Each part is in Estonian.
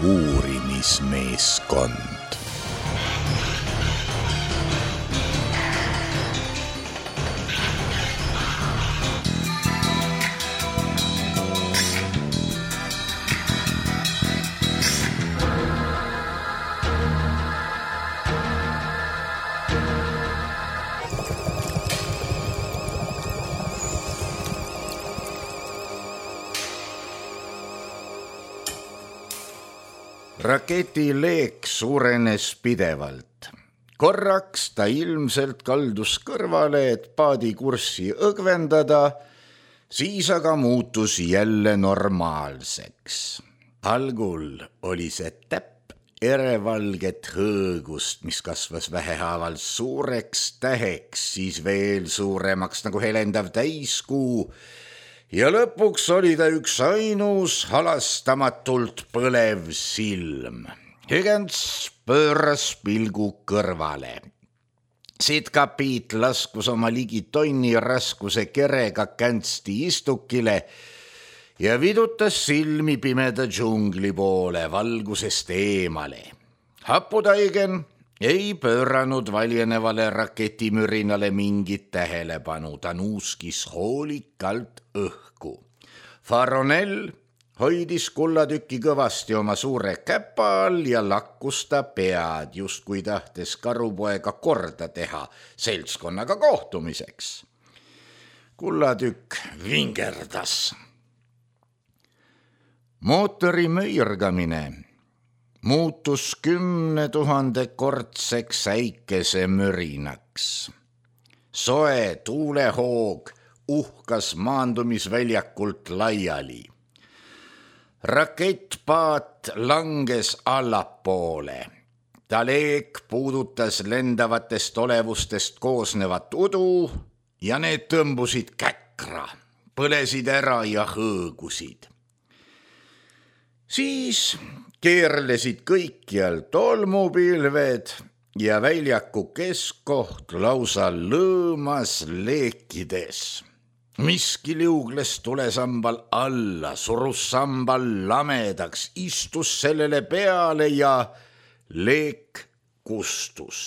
uurimismeeskond. Raketi leek suurenes pidevalt. Korraks ta ilmselt kaldus kõrvale, et paadi kurssi õgvendada, siis aga muutus jälle normaalseks. Algul oli see täpp erevalget hõõgust, mis kasvas vähehaaval suureks täheks, siis veel suuremaks nagu helendav täiskuu, ja lõpuks oli ta üks ainus halastamatult põlev silm. Higgins pööras pilgu kõrvale. Sitkapit laskus oma ligi tonni raskuse kerega känsti istukile ja vidutas silmi pimeda džungli poole valgusest eemale. Haputaigen ei pööranud valjenevale raketimürinale mingit tähelepanu, ta nuuskis hoolikalt õhku. Faronell hoidis kullatükki kõvasti oma suure käpa all ja lakkus ta pead, justkui tahtes karupoega korda teha seltskonnaga kohtumiseks. Kullatükk vingerdas. Mootori möirgamine muutus 10 000-kordseks äikesemürinaks. Soe tuulehoog uhkas maandumisväljakult laiali. Rakettpaat langes allapoole. Ta leek puudutas lendavatest olevustest koosnevat udu ja need tõmbusid käkra, põlesid ära ja hõõgusid. Siis keerlesid kõikjal tolmupilved ja väljaku keskkoht lausa lõõmas leekides. Miski liugles tulesambal alla, surus sambal lamedaks, istus sellele peale ja leek kustus.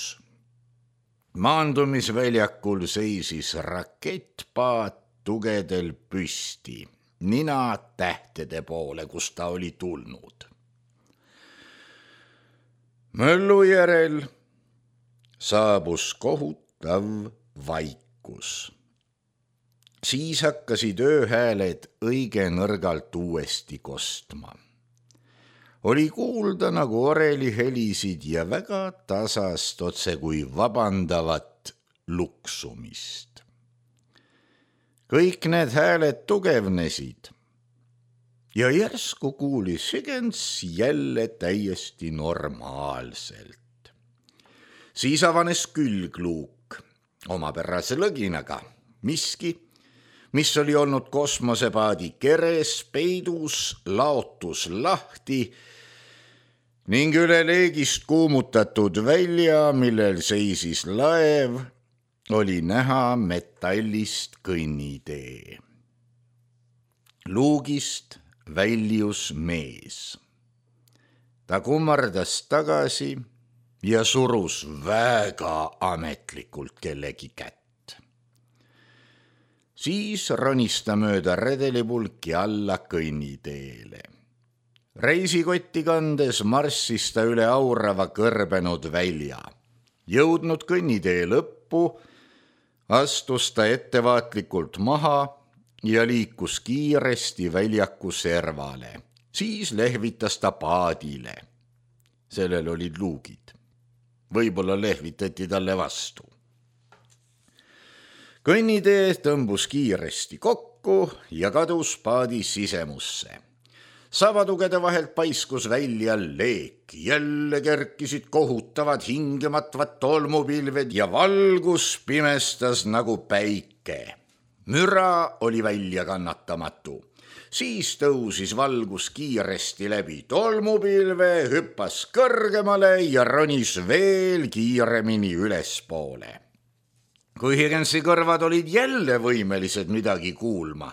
Maandumisväljakul seisis rakettpaat tugedel püsti, nina tähtede poole, kus ta oli tulnud. Möllu järel saabus kohutav vaikus. Siis hakkasid ööhääled õige nõrgalt uuesti kostma. Oli kuulda nagu oreli helisid ja väga tasast, otse kui vabandavat luksumist. Kõik need hääled tugevnesid ja järsku kuulis Higgins jälle täiesti normaalselt. Siis avanes külgluuk omapärase lõginaga. Miski, mis oli olnud kosmosepaadi keres peidus, laotus lahti ning üle leegist kuumutatud välja, millel seisis laev, oli näha metallist kõnnitee. Luugist väljus mees. Ta kummardas tagasi ja surus väga ametlikult kellegi kätt. Siis ronis ta mööda redelipulki alla kõnniteele. Reisikotti kandes marssis ta üle aurava kõrbenud välja. Jõudnud kõnnitee lõppu, astus ta ettevaatlikult maha ja liikus kiiresti väljaku servale. Siis lehvitas ta paadile. Sellel olid luugid. Võib-olla lehvitati talle vastu. Kõnnitee tõmbus kiiresti kokku ja kadus paadi sisemusse. Savatugede vahelt paiskus välja leek. Jälle kerkisid kohutavad hingematvad tolmupilved ja valgus pimestas nagu päike. Müra oli välja kannatamatu. Siis tõusis valgus kiiresti läbi tolmupilve, hüppas kõrgemale ja ronis veel kiiremini ülespoole. Kui Higginsi kõrvad olid jälle võimelised midagi kuulma,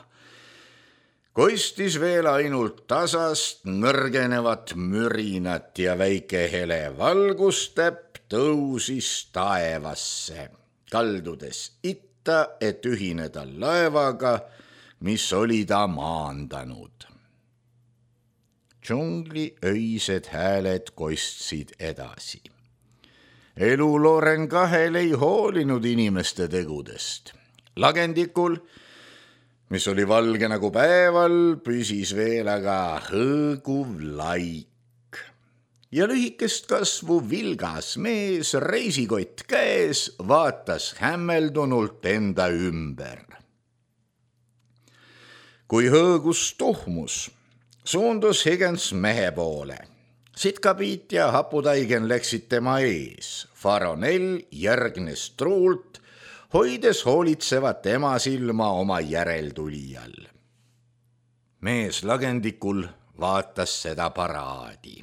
Kostis veel ainult tasast nõrgenevat mürinat ja väike hele valgustäpp tõusis taevasse, kaldudes itta, et ühineda laevaga, mis oli ta maandanud. Džungli öised hääled kostsid edasi. Elu Loren kahel ei hoolinud inimeste tegudest. Lagendikul, mis oli valge nagu päeval, püsis veel aga hõõguv laik. Ja lühikest kasvu vilgas mees, reisikott käes, vaatas hämmeldunult enda ümber. Kui hõõgus tuhmus, suundus Higgins mehe poole. Sitkapiit ja Haputaigen läksid tema ees. Faronell järgnes truult, hoides hoolitsevat ema silma oma järeltulijal. Mees lagendikul vaatas seda paraadi.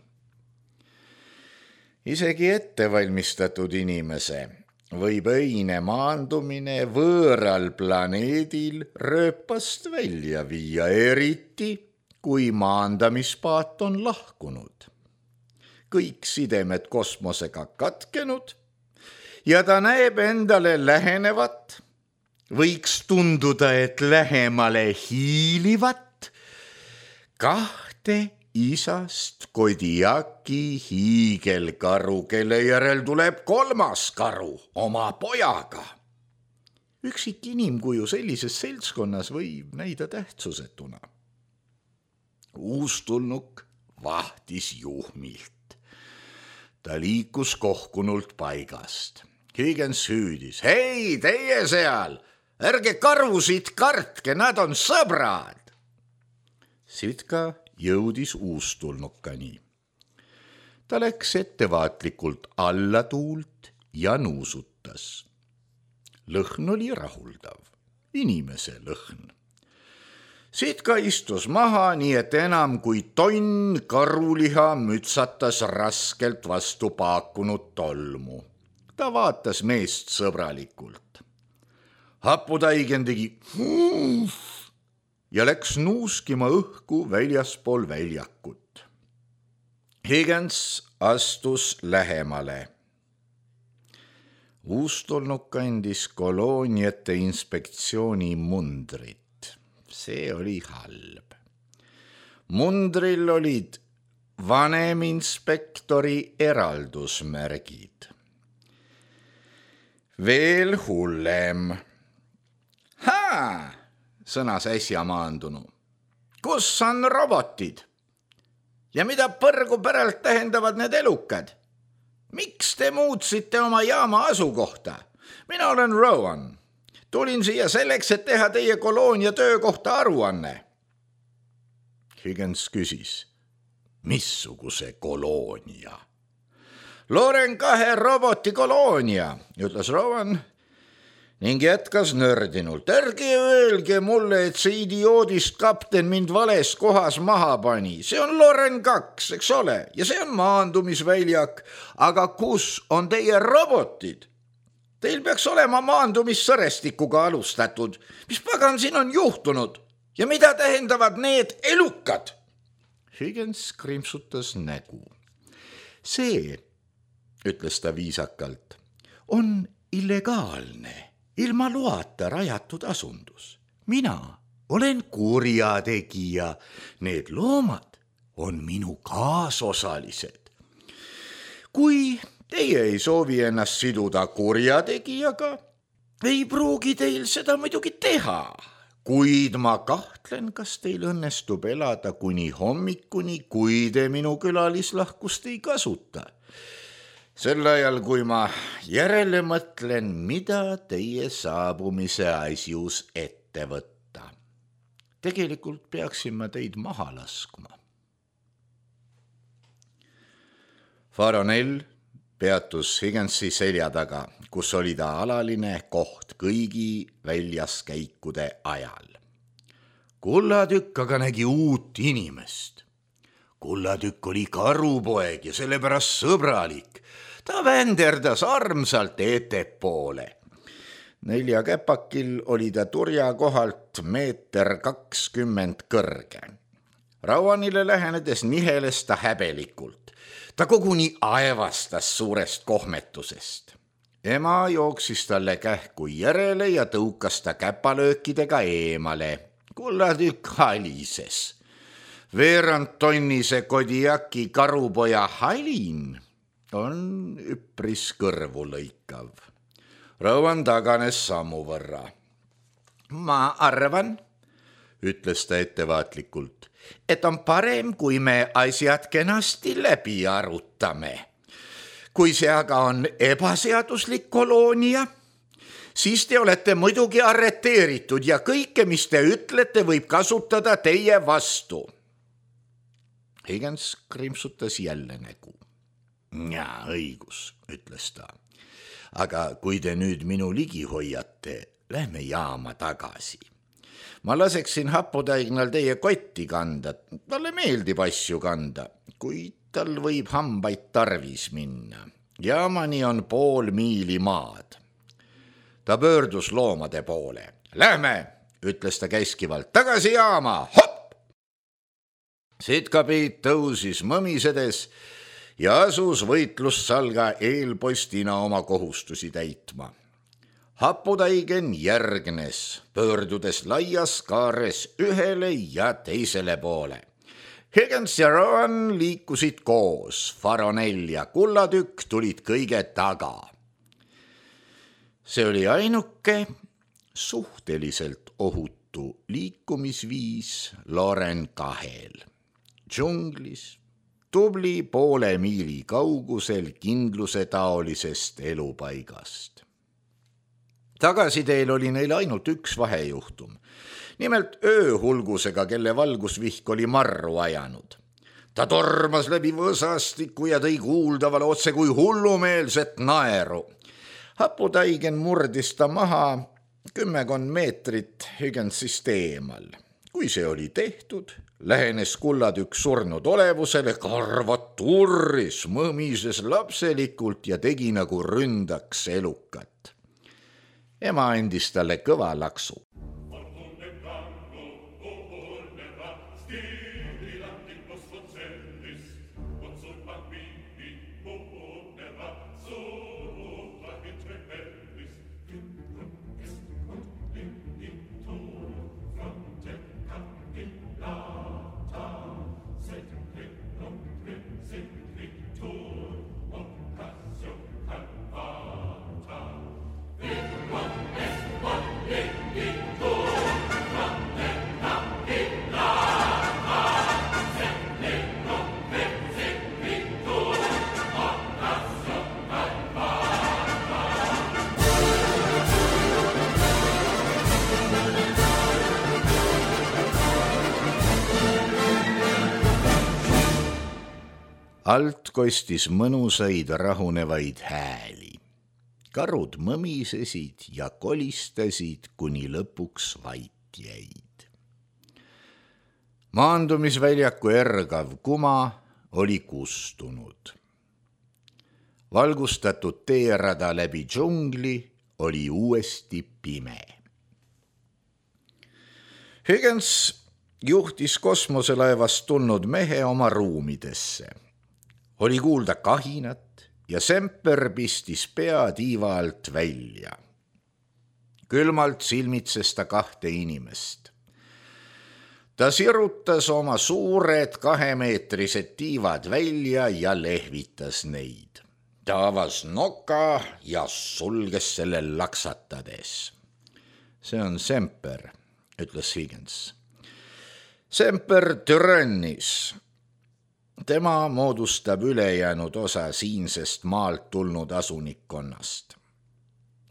Isegi ettevalmistatud inimese võib öine maandumine võõral planeedil rööpast välja viia, eriti kui maandamispaat on lahkunud. Kõik sidemed kosmosega katkenud ja ta näeb endale lähenevat, võiks tunduda, et lähemale hiilivat, kahte isast Kodiaki hiigelkaru, kelle järel tuleb kolmas karu oma pojaga. Üksik inimkuju sellises seltskonnas võib näida tähtsusetuna. Uustulnuk vahtis juhmilt. Ta liikus kohkunult paigast. Higgins hüüdis: "Hei, teie seal! Ärge karusid kartke, nad on sõbrad!" Sitka jõudis uustulnukani. Ta läks ettevaatlikult alla tuult ja nuusutas. Lõhn oli rahuldav, inimese lõhn. Sitka istus maha, nii et enam kui tonn karuliha mütsatas raskelt vastu paakunud tolmu. Ta vaatas meest sõbralikult. Haputaigen tegi ja läks nuuskima õhku väljaspool väljakut. Higgins astus lähemale. Uustulnuk kandis kolooniate inspektsiooni mundrit. See oli halb. Mundril olid vaneminspektori eraldusmärgid. Veel hullem. Sõnas äsja maandunu. Kus on robotid? Ja mida põrgu päralt tähendavad need elukad? Miks te muutsite oma jaama asukohta? Mina olen Rowan. Tulin siia selleks, et teha teie koloonia töökohta aruanne. Higgins küsis, missuguse koloonia? Loren 2 roboti koloonia, ütles Rowan ning jätkas nördinult. Ärge öelge mulle, et see idioodist kapten mind vales kohas maha pani. See on Loren 2, eks ole, ja see on maandumisväljak. Aga kus on teie robotid? Teil peaks olema maandumissõrestikuga alustatud. Mis pagan siin on juhtunud? Ja mida tähendavad need elukad? Higgins krimpsutas nägu. See, ütles ta viisakalt, on illegaalne, ilma loata rajatud asundus. Mina olen kurjategija. Need loomad on minu kaasosalised. Kui teie ei soovi ennast siduda kurjategijaga, ei pruugi teil seda muidugi teha, kuid ma kahtlen, kas teil õnnestub elada kuni hommikuni, kui te minu külalislahkust ei kasuta. Sel ajal, kui ma järele mõtlen, mida teie saabumise asjus ette võtta. Tegelikult peaksin ma teid maha laskma. Faronell peatus Higginsi selja taga, kus oli ta alaline koht kõigi väljaskäikude ajal. Kullatükk aga nägi uut inimest. Kullatükk oli karupoeg ja sellepärast sõbralik. Ta vänderdas armsalt ettepoole. 4 käpakil oli ta turja kohalt 1,20 meetrit kõrge. Rowanile lähenedes niheles ta häbelikult. Ta koguni aevastas suurest kohmetusest. Ema jooksis talle kähku järele ja tõukas ta käpalöökidega eemale. Kullatükk halises. 1/2 tonnise Kodiaki karupoja halin on üpris kõrvu lõikav. Rowan taganes sammu võrra. Ma arvan, ütles ta ettevaatlikult, et on parem, kui me asjad kenasti läbi arutame. Kui see aga on ebaseaduslik koloonia, siis te olete muidugi arreteeritud ja kõike, mis te ütlete, võib kasutada teie vastu. Higgins krimpsutas jälle nägu. Jaa, õigus, ütles ta. Aga kui te nüüd minu ligi hoiate, lähme jaama tagasi. Ma laseksin Hapudaignal teie kotti kanda, talle meeldib asju kanda, kuid tal võib hambaid tarvis minna. Jaamani on 0,5 miili maad. Ta pöördus loomade poole. Lähme, ütles ta käskivalt, tagasi jaama, hopp! Sitkapiit tõusis mõmisedes ja asus võitlussalga eelpostina oma kohustusi täitma. Hapudaigen järgnes, pöördudes laias kaares ühele ja teisele poole. Higgins ja Rowan liikusid koos, Faronell ja Kullatükk tulid kõige taga. See oli ainuke suhteliselt ohutu liikumisviis Loren 2. Džunglis, tubli 0,5 miili kaugusel kindluse taolisest elupaigast. Tagasiteel oli neil ainult üks vahejuhtum. Nimelt ööhulgusega, kelle valgusvihk oli marru ajanud. Ta tormas läbi võsastiku ja tõi kuuldavale otse kui hullumeelset naeru. Hapudaigen murdis ta maha 10 meetrit Higginsist eemal. Kui see oli tehtud, lähenes Kullatükk surnud olevusele, karvad turris, mõmises lapselikult ja tegi nagu ründaks elukat. Ema andis talle kõva laksu. Alt kostis mõnusaid rahunevaid hääli. Karud mõmisesid ja kolistasid, kuni lõpuks vait jäid. Maandumisväljaku ergav kuma oli kustunud. Valgustatud teerada läbi džungli oli uuesti pime. Higgins juhtis kosmoselaevast tulnud mehe oma ruumidesse. Oli kuulda kahinat ja Semper pistis pea tiiva alt välja. Külmalt silmitses ta 2 inimest. Ta sirutas oma suured 2-meetrised tiivad välja ja lehvitas neid. Ta avas noka ja sulges selle laksatades. See on Semper, ütles Higgins. Semper türannis. Tema moodustab ülejäänud osa siinsest maalt tulnud asunikkonnast.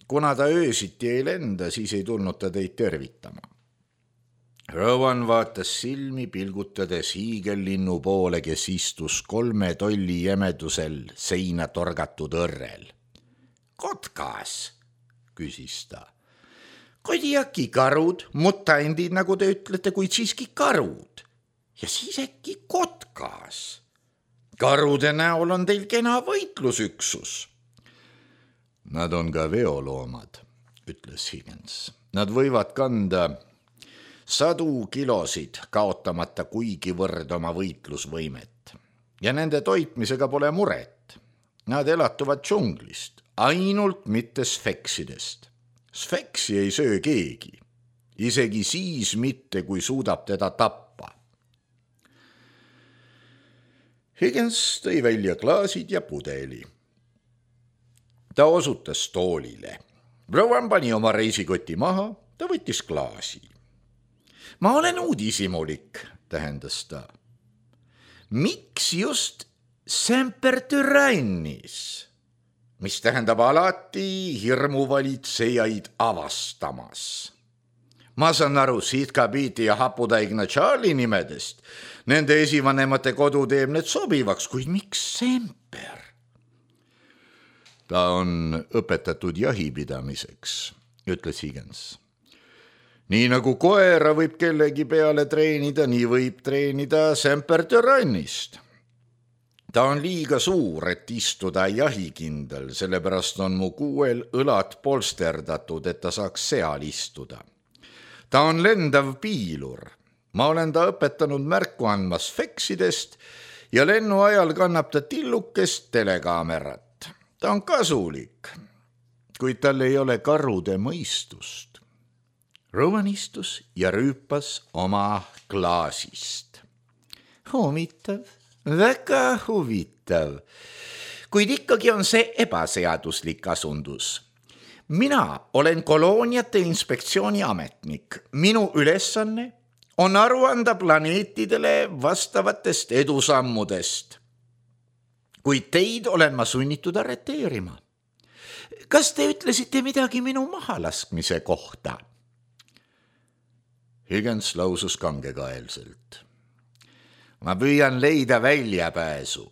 Kuna ta öösiti ei lenda, siis ei tulnud ta teid tervitama. Rowan vaatas silmi pilgutades hiigellinnu poole, kes istus 3 tolli jämedusel seina torgatud õrrel. Kotkas, küsis ta. Kodiaki karud, mutandid, nagu te ütlete, kuid siiski karud. Ja siis äkki kotkas. Karude näol on teil kena võitlusüksus. Nad on ka veoloomad, ütles Higgins. Nad võivad kanda 100 kilosid, kaotamata kuigivõrd oma võitlusvõimet. Ja nende toitmisega pole muret. Nad elatuvad džunglist, ainult mitte sfeksidest. Sfeksi ei söö keegi, isegi siis mitte, kui suudab teda tappa. Higgins tõi välja klaasid ja pudeli. Ta osutas toolile. Rowan pani oma reisikoti maha, ta võttis klaasi. Ma olen uudishimulik, tähendas ta. Miks just sempertyrannis, mis tähendab alati hirmuvalitsejaid avastamas? Ma saan aru Sitka-Biiti ja Haputaigna Charlie nimedest. Nende esivanemate kodu teeb need sobivaks, kuid miks semper? Ta on õpetatud jahipidamiseks, ütles Higgins. Nii nagu koera võib kellegi peale treenida, nii võib treenida sempertyrannist. Ta on liiga suur, et istuda jahikindel, sellepärast on mu kuuel õlad polsterdatud, et ta saaks seal istuda. Ta on lendav piilur. Ma olen ta õpetanud märku andma sfeksidest ja lennu ajal kannab ta tillukest telekaamerat. Ta on kasulik, kuid tal ei ole karude mõistust. Rowan istus ja rüüpas oma klaasist. Huvitav, väga huvitav, kuid ikkagi on see ebaseaduslik asundus. Mina olen kolooniate inspektsiooni ametnik. Minu ülesanne on aru anda planeetidele vastavatest edusammudest. Kuid teid olen ma sunnitud arreteerima. Kas te ütlesite midagi minu mahalaskmise kohta? Higgins lausus kangekaelselt. Ma püüan leida väljapääsu.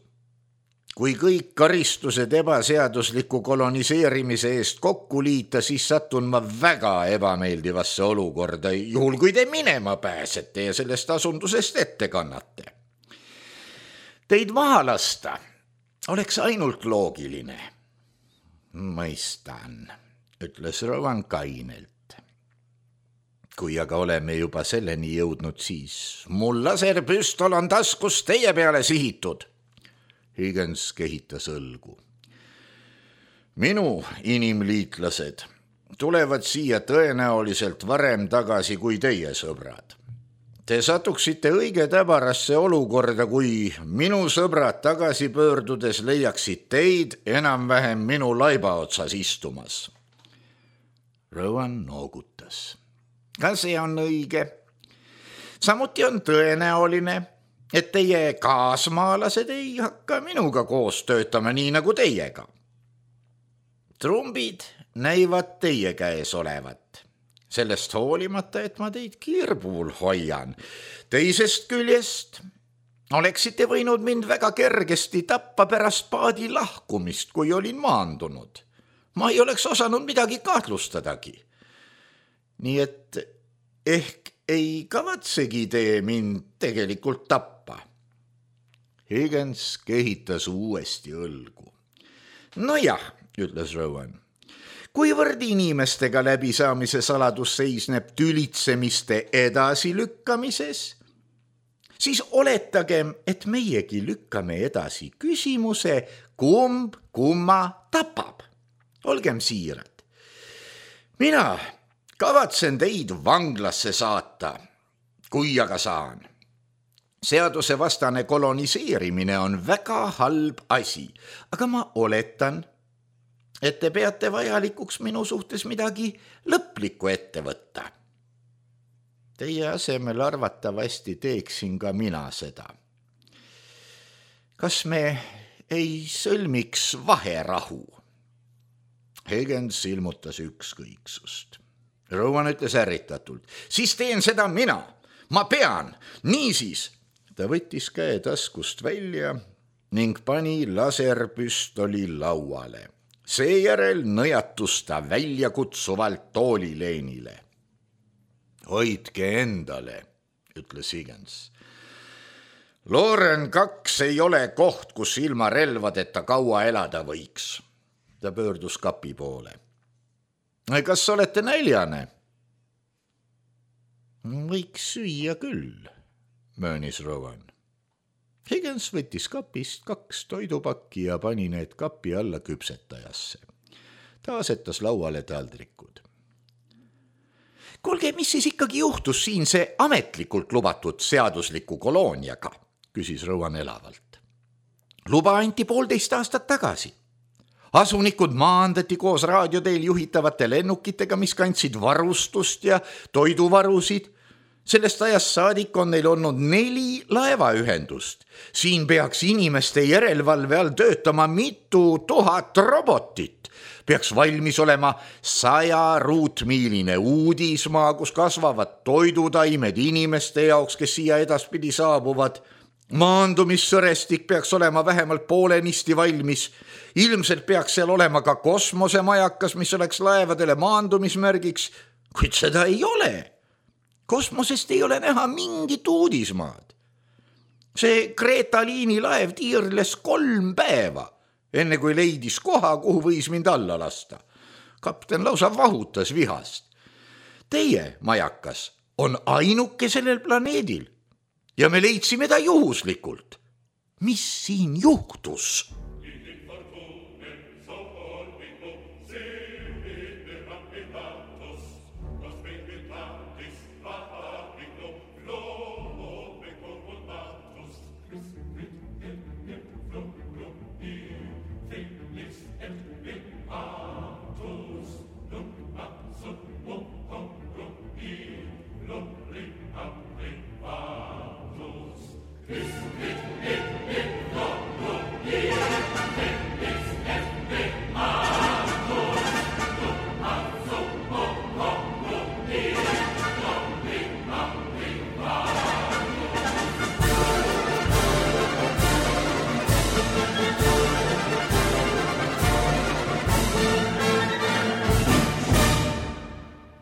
Kui kõik karistused ebaseadusliku koloniseerimise eest kokku liita, siis satun ma väga ebameeldivasse olukorda, juhul kui te minema pääsete ja sellest asundusest ette kannate. Teid maha lasta oleks ainult loogiline. Mõistan, ütles Rowan kainelt. Kui aga oleme juba selleni jõudnud, siis mul laserpüstol on taskus teie peale sihitud. Higgins kehitas õlgu. Minu inimliitlased tulevad siia tõenäoliselt varem tagasi kui teie sõbrad. Te satuksite õige täbarasse olukorda, kui minu sõbrad tagasi pöördudes leiaksid teid enam-vähem minu laiba otsas istumas. Rowan noogutas. Ka see on õige. Samuti on tõenäoline, et teie kaasmaalased ei hakka minuga koos töötama nii nagu teiega. Trumbid näivad teie käes olevat. Sellest hoolimata, et ma teid kirbul hoian. Teisest küljest oleksite võinud mind väga kergesti tappa pärast paadi lahkumist, kui olin maandunud. Ma ei oleks osanud midagi kahtlustadagi. Nii et ehk ei kavatsegi te mind tegelikult tappa. Higgins kehitas uuesti õlgu. Nojah, ütles Rowan. Kuivõrd inimestega läbisaamise saladus seisneb tülitsemiste edasilükkamises, siis oletagem, et meiegi lükkame edasi küsimuse, kumb kumma tapab. Olgem siirad. Mina kavatsen teid vanglasse saata, kui aga saan. Seadusevastane koloniseerimine on väga halb asi, aga ma oletan, et te peate vajalikuks minu suhtes midagi lõplikku ette võtta. Teie asemel arvatavasti teeksin ka mina seda. Kas me ei sõlmiks vaherahu? Higgins ilmutas ükskõiksust. Rowan ütles ärritatult. Siis teen seda mina. Ma pean. Niisiis. Ta võttis käe taskust välja ning pani laserpüstoli lauale. Seejärel nõjatus ta väljakutsuvalt toolileenile. Hoidke endale, ütles Higgins. Loren 2 ei ole koht, kus ilma relvadeta kaua elada võiks. Ta pöördus kapi poole. Kas olete näljane? Võiks süüa küll, möönis Rowan. Higgins võttis kapist 2 toidupakki ja pani need kapi alla küpsetajasse. Ta asetas lauale taldrikud. Kuulge, mis siis ikkagi juhtus siin see ametlikult lubatud seadusliku kolooniaga, küsis Rowan elavalt. Luba anti 1,5 aastat tagasi. Asunikud maandati koos raadioteel juhitavate lennukitega, mis kandsid varustust ja toiduvarusid. Sellest ajast saadik on neil olnud 4 laevaühendust. Siin peaks inimeste järelevalve all töötama mitu tuhat robotit. Peaks valmis olema 100 ruutmiiline uudismaa, kus kasvavad toidutaimed inimeste jaoks, kes siia edaspidi saabuvad. Maandumissõrestik peaks olema vähemalt poolenisti valmis. Ilmselt peaks seal olema ka kosmosemajakas, mis oleks laevadele maandumismärgiks, kuid seda ei ole. Kosmosest ei ole näha mingit uudismaad. See Greta liini laev tiirles 3 päeva, enne kui leidis koha, kuhu võis mind alla lasta. Kapten lausa vahutas vihast. Teie majakas on ainuke sellel planeedil ja me leidsime ta juhuslikult. Mis siin juhtus?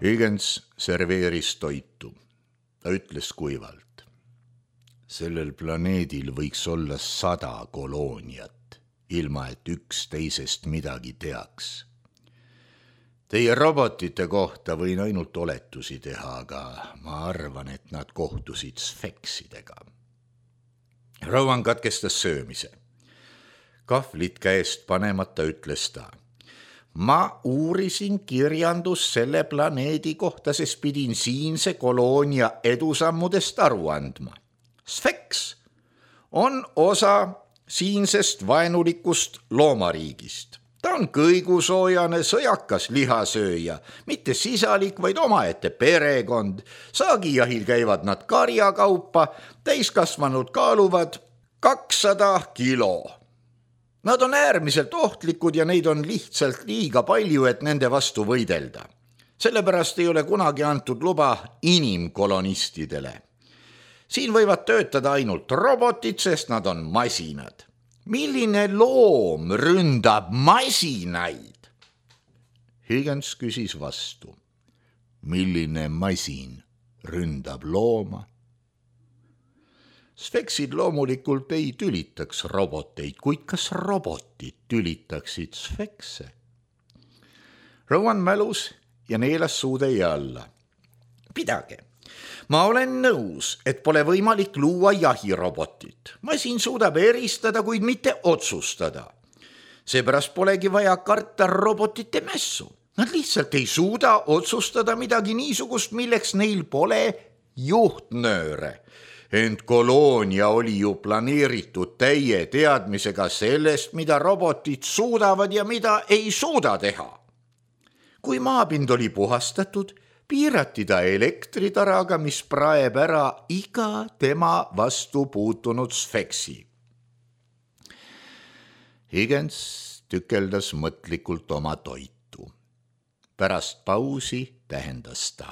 Higgins serveeris toitu. Ta ütles kuivalt. Sellel planeedil võiks olla 100 kolooniat, ilma et üks teisest midagi teaks. Teie robotite kohta võin ainult oletusi teha, aga ma arvan, et nad kohtusid sfeksidega. Rowan katkestas söömise. Kahvlit käest panemata ütles ta. Ma uurisin kirjandus selle planeedi kohta, sest pidin siinse koloonia edusammudest aru andma. Sfeks on osa siinsest vaenulikust loomariigist. Ta on kõigusoojane, sõjakas lihasööja, mitte sisalik, vaid omaette perekond. Saagijahil käivad nad karjakaupa, täiskasvanud kaaluvad 200 kilo. Nad on äärmiselt ohtlikud ja neid on lihtsalt liiga palju, et nende vastu võidelda. Sellepärast ei ole kunagi antud luba inimkolonistidele. Siin võivad töötada ainult robotid, sest nad on masinad. Milline loom ründab masinaid? Higgins küsis vastu. Milline masin ründab looma? Sfeksid loomulikult ei tülitaks roboteid, kuid kas robotid tülitaksid sfekse? Rowan mälus ja neelas suutäie alla. Pidage, ma olen nõus, et pole võimalik luua jahirobotit. Masin suudab eristada, kuid mitte otsustada. Seepärast polegi vaja karta robotite mässu. Nad lihtsalt ei suuda otsustada midagi niisugust, milleks neil pole juhtnööre. Ent koloonia oli ju planeeritud täie teadmisega sellest, mida robotid suudavad ja mida ei suuda teha. Kui maapind oli puhastatud, piirati ta elektritaraga, mis praeb ära iga tema vastu puutunud sfeksi. Higgins tükeldas mõtlikult oma toitu. Pärast pausi tähendas ta.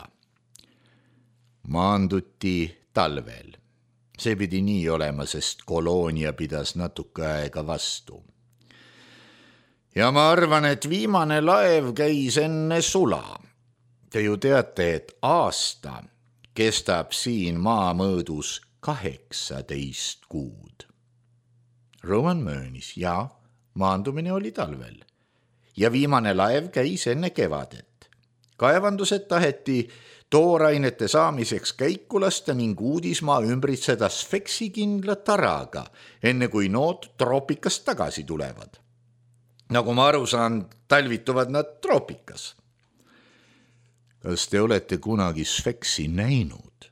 Maanduti talvel. See pidi nii olema, sest koloonia pidas natuke aega vastu. Ja ma arvan, et viimane laev käis enne sula. Te ju teate, et aasta kestab siin maamõõdus 18 kuud. Rowan möönis, ja maandumine oli talvel. Ja viimane laev käis enne kevadet. kaevandused taheti toorainete saamiseks käiku lasta ning uudismaa ümbritseda sfeksikindla taraga, enne kui nood troopikast tagasi tulevad. Nagu ma aru saan, talvituvad nad troopikas. Kas te olete kunagi sfeksi näinud?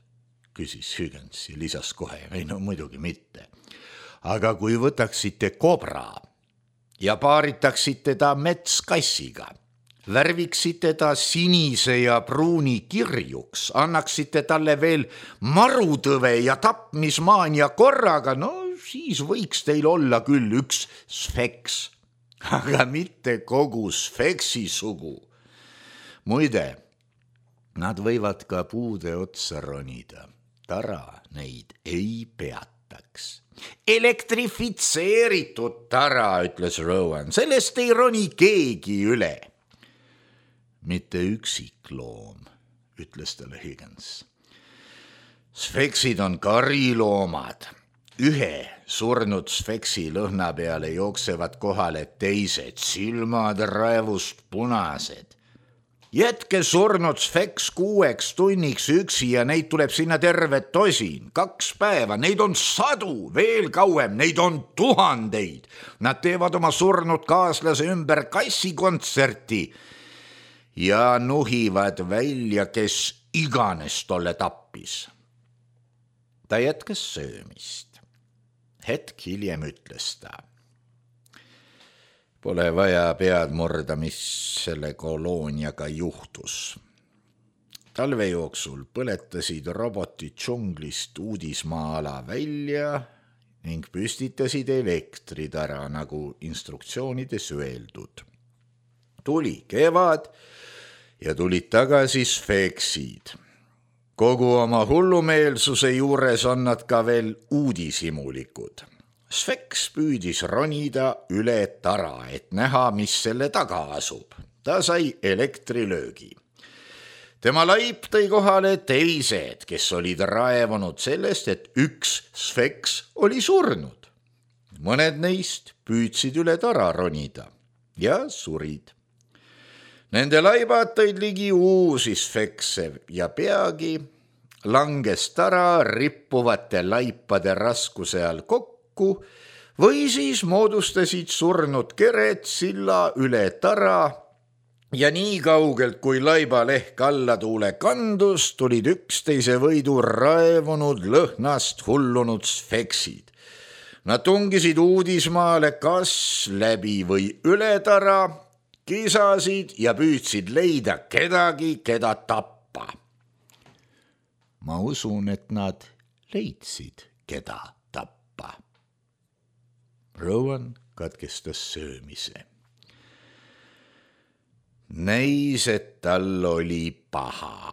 Küsis Huygens ja lisas kohe, ei no muidugi mitte. Aga kui võtaksite kobra ja paaritaksite ta metskassiga, värviksite ta sinise ja pruuni kirjuks, annaksite talle veel marutõve ja tapmismaania korraga, no siis võiks teil olla küll üks sfeks, aga mitte kogu sfeksi sugu. Muide, nad võivad ka puude otsa ronida, tara neid ei peataks. Elektrifitseeritud tara, ütles Rowan, sellest ei roni keegi üle. Mitte üksikloom, ütles talle Huygens. Sfeksid on kariloomad. Ühe surnud sfeksi lõhna peale jooksevad kohale teised, silmad raevust punased. Jätke surnud sfeks 6 tunniks üksi ja neid tuleb sinna terve tosin, 2 päeva, neid on 100, veel kauem, neid on 1000. Nad teevad oma surnud kaaslase ümber kassikontserti ja nuhivad välja, kes iganes tolle tappis. Ta jätkas söömist. Hetk hiljem ütles ta. Pole vaja pead murda, mis selle kolooniaga juhtus. Talve jooksul põletasid robotid džunglist uudismaa-ala välja ning püstitasid elektritara, nagu instruktsioonides öeldud. Tuli kevad ja tulid tagasi sfeksid. Kogu oma hullumeelsuse juures on nad ka veel uudishimulikud. Sfeks püüdis ronida üle tara, et näha, mis selle taga asub. Ta sai elektrilöögi. Tema laip tõi kohale teised, kes olid raevunud sellest, et üks sfeks oli surnud. Mõned neist püüdsid üle tara ronida ja surid. Nende laibad tõid ligi uusi sfekse ja peagi langes tara rippuvate laipade raskuse all kokku või siis moodustasid surnud kered silla üle tara ja nii kaugelt, kui laibalehk alla tuule kandus, tulid üksteise võidu raevunud lõhnast hullunud sfeksid. Nad tungisid uudismaale kas läbi või üle tara, kisasid ja püüdsid leida kedagi, keda tappa. Ma usun, et nad leidsid, keda tappa. Rowan katkestas söömise. Näis, et tal oli paha.